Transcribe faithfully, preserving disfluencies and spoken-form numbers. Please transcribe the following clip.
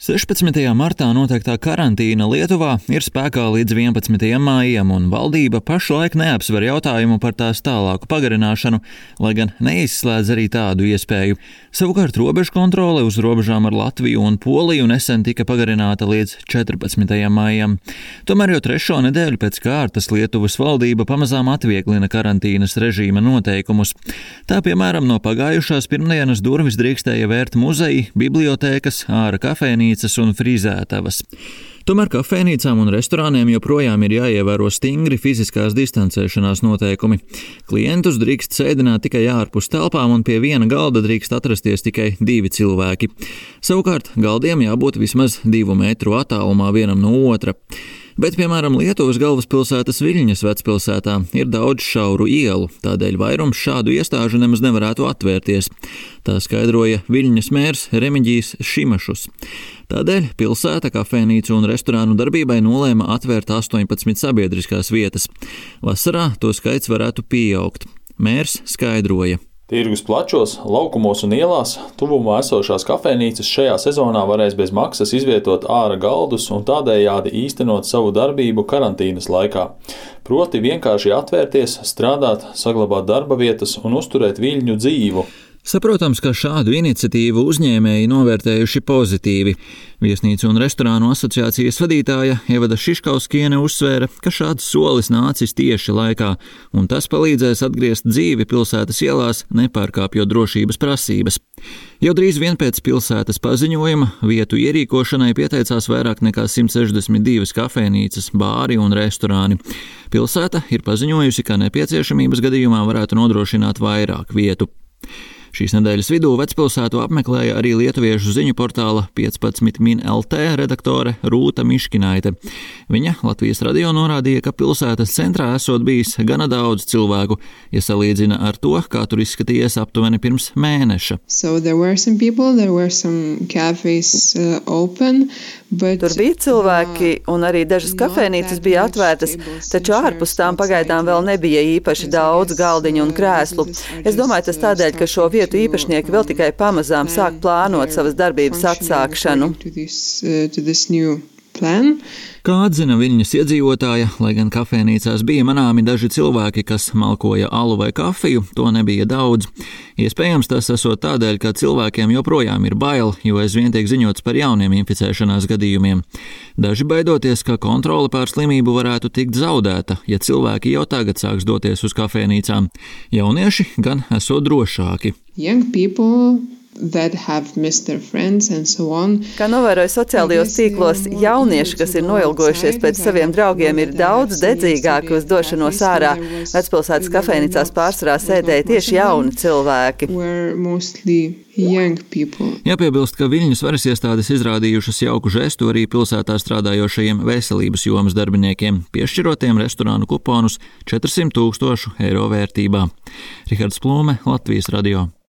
sešpadsmitajā martā noteiktā karantīna Lietuvā ir spēkā līdz vienpadsmitajam maijam, un valdība pašlaik neapsver jautājumu par tās tālāku pagarināšanu, lai gan neizslēdz arī tādu iespēju. Savukārt robežu kontrole uz robežām ar Latviju un Poliju nesen tika pagarināta līdz četrpadsmitajam maijam. Tomēr jau trešo nedēļu pēc kārtas Lietuvas valdība pamazām atvieglina karantīnas režīma noteikumus. Tā piemēram no pagājušās pirmdienas durvis drīkstēja vērt muzeji, bibliotēkas, āra kafejnīcas un frizētavas. Tomēr kafejnīcām un restorāniem joprojām ir jāievēro stingri fiziskās distancēšanās noteikumi. Klientus drīkst sēdināt tikai ārpus telpām un pie viena galda drīkst atrasties tikai divi cilvēki. Savukārt galdiem jābūt vismaz divu metru attālumā vienam no otra. Bet, piemēram, Lietuvas galvaspilsētas Viļņas vecpilsētā ir daudz šauru ielu, tādēļ vairums šādu iestāžu nemaz nevarētu atvērties. Tā skaidroja Viļņas mērs Remiģijs Šimašus. Tādēļ pilsēta kafejnīcu un restorānu darbībai nolēma atvērt astoņpadsmit sabiedriskās vietas. Vasarā to skaits varētu pieaugt. Mērs skaidroja. Tirgus plačos, laukumos un ielās tuvumā esošās kafejnīcas šajā sezonā varēs bez maksas izvietot āra galdus un tādējādi īstenot savu darbību karantīnas laikā. Proti vienkārši atvērties, strādāt, saglabāt darba vietas un uzturēt Viļņu dzīvu. Saprotams, ka šādu iniciatīvu uzņēmēji novērtējuši pozitīvi. Viesnīcu un restorānu asociācijas vadītāja Ievada Šiškauskiene uzsvēra, ka šāds solis nācis tieši laikā, un tas palīdzēs atgriezt dzīvi pilsētas ielās, nepārkāpjot drošības prasības. Jau drīz vien pēc pilsētas paziņojuma vietu ierīkošanai pieteicās vairāk nekā simt sešdesmit divas kafejnīcas, bāri un restorāni. Pilsēta ir paziņojusi, ka nepieciešamības gadījumā varētu nodrošināt vairāk vietu. Šīs nedēļas vidū vecpilsētu apmeklēja arī lietuviešu ziņu portāla piecpadsmit min el te redaktore Rūta Miškinaite. Viņa Latvijas radio norādīja, ka pilsētas centrā esot bijis gana daudz cilvēku, ja salīdzina ar to, kā tur izskatījies aptuveni pirms mēneša. So there were some people, there were some cafes uh, open, but tur bija cilvēki un arī dažas kafejnīcas bija atvērtas, taču ārpus tām pagaidām vēl nebija īpaši daudz galdiņu un krēslu. Es domāju, tas tādēļ, ka šo vietu īpašnieki vēl tikai pamazām sāk plānot savas darbības atsākšanu. Kā atzina Viļņas iedzīvotāja, lai gan kafejnīcās bija manāmi daži cilvēki, kas malkoja alu vai kafiju, to nebija daudz. Iespējams, tas esot tādēļ, ka cilvēkiem joprojām ir bail, jo aizvien tiek ziņots par jauniem inficēšanās gadījumiem. Daži baidoties, ka kontrole pār slimību varētu tikt zaudēta, ja cilvēki jau tagad sāks doties uz kafejnīcām. Jaunieši gan esot drošāki. Young people that have missed their friends and so on. Kā novēroja sociālajos tīklos, jaunieši, kas ir noilgojušies pēc saviem draugiem, ir daudz dedzīgāki uz došanos ārā. Vecpilsētas kafejnīcās pārsvarā sēdēja tieši jauni cilvēki. Jāpiebilst, ka Viļņas varas iestādes izrādījušas jauku žestu arī pilsētā strādājošajiem veselības jomas darbiniekiem, piešķirotiem restorānu kuponus četrsimt tūkstošu eiro vērtībā. Rihards Plūme, Latvijas radio.